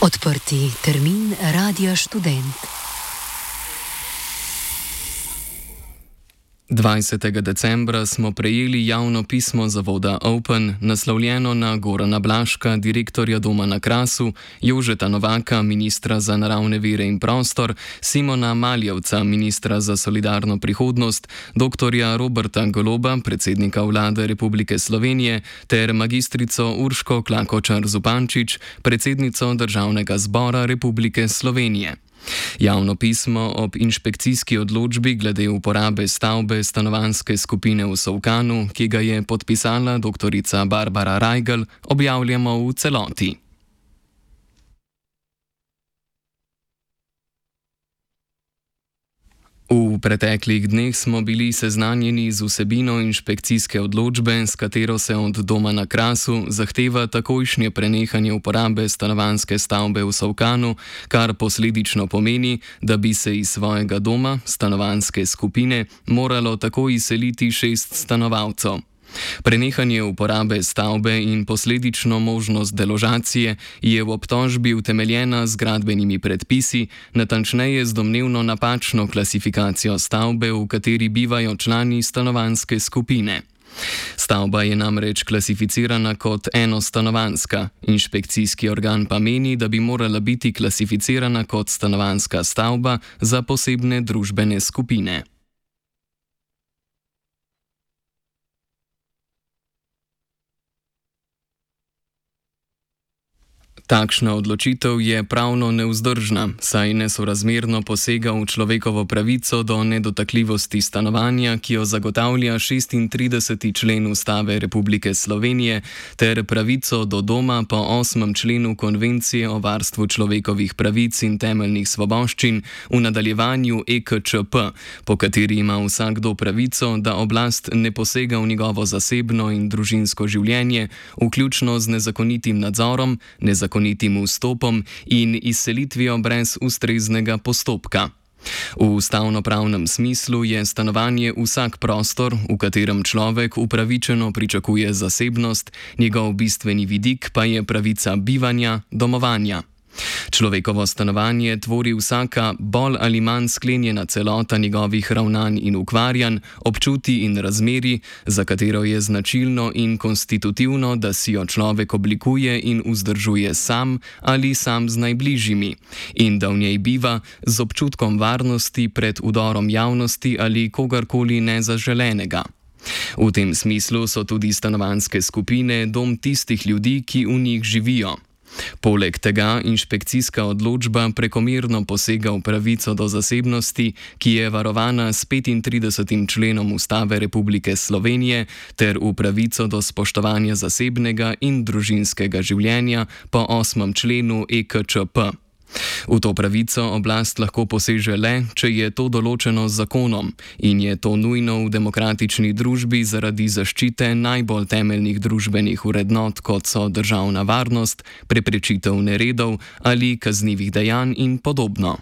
Odprti termin Radia Študent. 20. decembra smo prejeli javno pismo zavoda Open, naslovljeno na Gorana Blaška, direktorja Doma na Krasu, Jožeta Novaka, ministra za naravne vire in prostor, Simona Maljevca, ministra za solidarno prihodnost, dr. Roberta Goloba, predsednika vlade Republike Slovenije, ter magistrico Urško Klakočar-Zupančič, predsednico Državnega zbora Republike Slovenije. Javno pismo ob inšpekcijski odločbi glede uporabe stavbe stanovanjske skupine v Solkanu, ki ga je podpisala dr. Barbara Rajgl, objavljamo v celoti. V preteklih dneh smo bili seznanjeni z vsebino inšpekcijske odločbe, s katero se od Doma na Krasu zahteva takojšnje prenehanje uporabe stanovanjske stavbe v Solkanu, kar posledično pomeni, da bi se iz svojega doma, stanovanjske skupine, moralo takoj izseliti 6 stanovalcev. Prenehanje uporabe stavbe in posledično možnost deložacije je v obtožbi utemeljena z gradbenimi predpisi, natančneje z domnevno napačno klasifikacijo stavbe, v kateri bivajo člani stanovanjske skupine. Stavba je namreč klasificirana kot enostanovanjska, inšpekcijski organ pa meni, da bi morala biti klasificirana kot stanovanjska stavba za posebne družbene skupine. Takšna odločitev je pravno nevzdržna, saj nesorazmerno posega v človekovo pravico do nedotakljivosti stanovanja, ki jo zagotavlja 36. člen Ustave Republike Slovenije, ter pravico do doma po 8. členu Konvencije o varstvu človekovih pravic in temeljnih svoboščin, v nadaljevanju EKČP, po kateri ima vsakdo pravico, da oblast ne posega v njegovo zasebno in družinsko življenje, vključno z nezakonitim nadzorom, nezakonitim vstopom in izselitvijo brez ustreznega postopka. V ustavnopravnem smislu je stanovanje vsak prostor, v katerem človek upravičeno pričakuje zasebnost, njegov bistveni vidik pa je pravica bivanja, domovanja. Človekovo stanovanje tvori vsaka bolj ali manj sklenjena celota njegovih ravnanj in ukvarjanj, občutij in razmerij, za katero je značilno in konstitutivno, da si jo človek oblikuje in vzdržuje sam ali sam z najbližjimi, in da v njej biva z občutkom varnosti pred vdorom javnosti ali kogarkoli nezaželenega. V tem smislu so tudi stanovanjske skupine dom tistih ljudi, ki v njih živijo. Poleg tega inšpekcijska odločba prekomerno posega v pravico do zasebnosti, ki je varovana s 35. členom Ustave Republike Slovenije, ter v pravico do spoštovanja zasebnega in družinskega življenja po 8. členu EKČP. V to pravico oblast lahko poseže le, če je to določeno z zakonom, in je to nujno v demokratični družbi zaradi zaščite najbolj temeljnih družbenih vrednot, kot so državna varnost, preprečitev neredov ali kaznivih dejanj in podobno.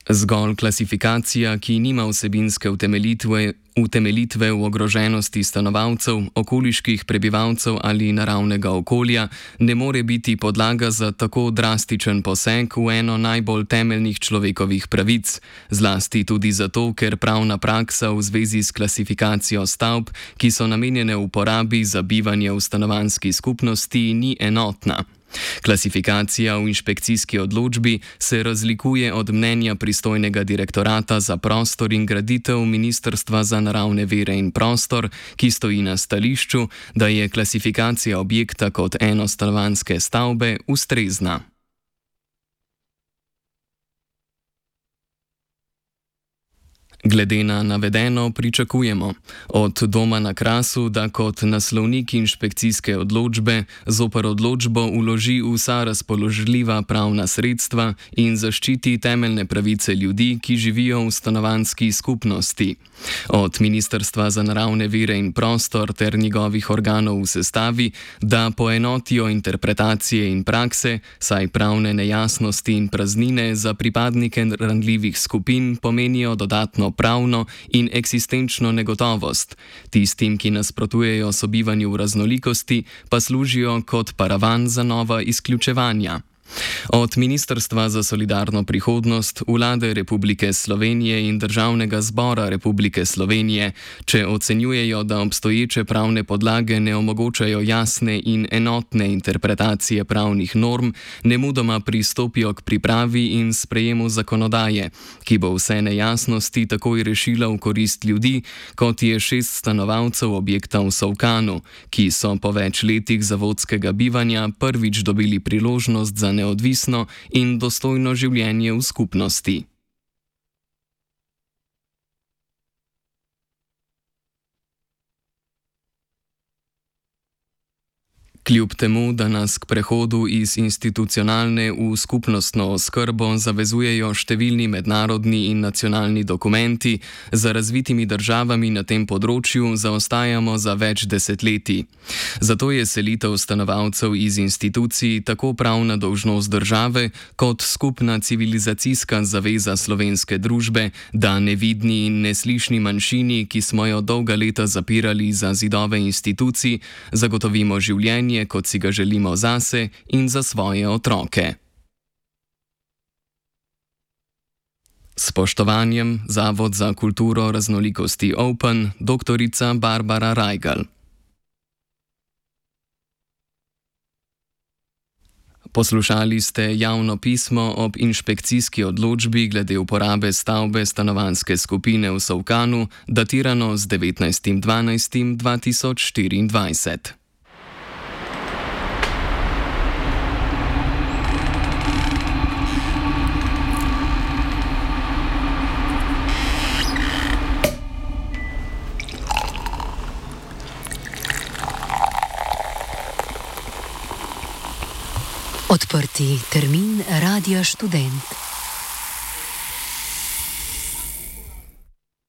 Zgolj klasifikacija, ki nima vsebinske utemeljitve v ogroženosti stanovalcev, okoliških prebivalcev ali naravnega okolja, ne more biti podlaga za tako drastičen poseg v eno najbolj temeljnih človekovih pravic, zlasti tudi zato, ker pravna praksa v zvezi s klasifikacijo stavb, ki so namenjene uporabi za bivanje v stanovanjski skupnosti, ni enotna. Klasifikacija v inšpekcijski odločbi se razlikuje od mnenja pristojnega direktorata za prostor in graditev Ministrstva za naravne vire in prostor, ki stoji na stališču, da je klasifikacija objekta kot enostanovanjske stavbe ustrezna. Glede na navedeno pričakujemo od Doma na Krasu, da kot naslovnik inšpekcijske odločbe zoper odločbo vloži vsa razpoložljiva pravna sredstva in zaščiti temeljne pravice ljudi, ki živijo v stanovanjski skupnosti. Od Ministrstva za naravne vire in prostor ter njegovih organov v sestavi, da poenotijo interpretacije in prakse, saj pravne nejasnosti in praznine za pripadnike ranljivih skupin pomenijo dodatno pravno in eksistenčno negotovost. Tistim, ki nasprotujejo sobivanju v raznolikosti, pa služijo kot paravan za nova izključevanja. Od Ministrstva za solidarno prihodnost, Vlade Republike Slovenije in Državnega zbora Republike Slovenije, če ocenjujejo, da obstoječe pravne podlage ne omogočajo jasne in enotne interpretacije pravnih norm, nemudoma pristopijo k pripravi in sprejemu zakonodaje, ki bo vse nejasnosti takoj rešila v korist ljudi, kot je 6 stanovalcev objekta v Solkanu, ki so po več letih zavodskega bivanja prvič dobili priložnost za neodvisno in dostojno življenje v skupnosti. Kljub temu, da nas k prehodu iz institucionalne v skupnostno oskrbo zavezujejo številni mednarodni in nacionalni dokumenti, za razvitimi državami na tem področju zaostajamo za več desetletij. Zato je selitev stanovalcev iz institucij tako pravna dolžnost države, kot skupna civilizacijska zaveza slovenske družbe, da nevidni in neslišni manjšini, ki smo jo dolga leta zapirali za zidove institucij, zagotovimo življenje, kot si ga želimo zase in za svoje otroke. S spoštovanjem, Zavod za kulturo raznolikosti Open, doktorica Barbara Rajgal. Poslušali ste javno pismo ob inšpekcijski odločbi glede uporabe stavbe stanovanjske skupine v Solkanu, datirano z 19.12.2024. Odprti termin Radia Študent.